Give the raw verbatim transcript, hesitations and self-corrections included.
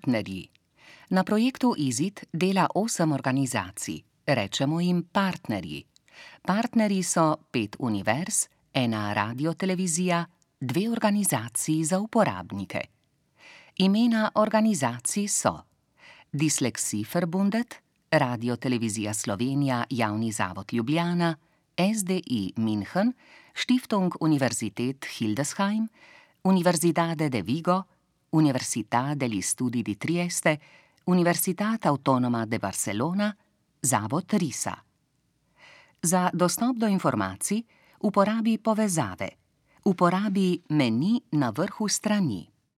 partnerji. Na projektu IZID dela osem organizacij, rečemo jim partnerji. Partnerji so pet univerz, ena radiotelevizija, dve organizaciji za uporabnike. Imena organizacij so Dyslexie-Verbundet, Radiotelevizija Slovenija Javni zavod Ljubljana, S D I München, Stiftung Universität Hildesheim, Universidade de Vigo, Università degli Studi di Trieste, Universitat Autonoma de Barcelona, Zavod RISA. Za dostop do informacij uporabi povezave. Uporabi meni na vrhu strani.